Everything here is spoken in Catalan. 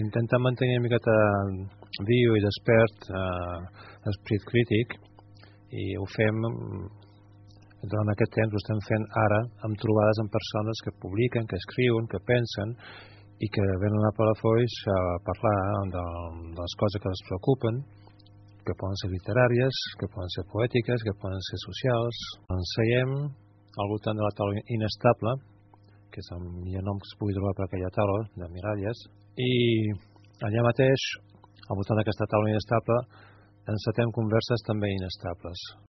Intentar mantenir una miqueta viu i despert l'esperit crític, i ho fem durant aquest temps, ho estem fent ara amb trobades amb persones que publiquen, que escriuen, que pensen i que venen a Palafolls a parlar de les coses que els preocupen, que poden ser literàries, que poden ser poètiques, que poden ser socials. Ens seiem al voltant de la taula inestable, que és el millor nom que es pugui trobar per aquella taula de Miralles, i allà mateix, al voltant d'aquesta taula inestable, encetem converses també inestables.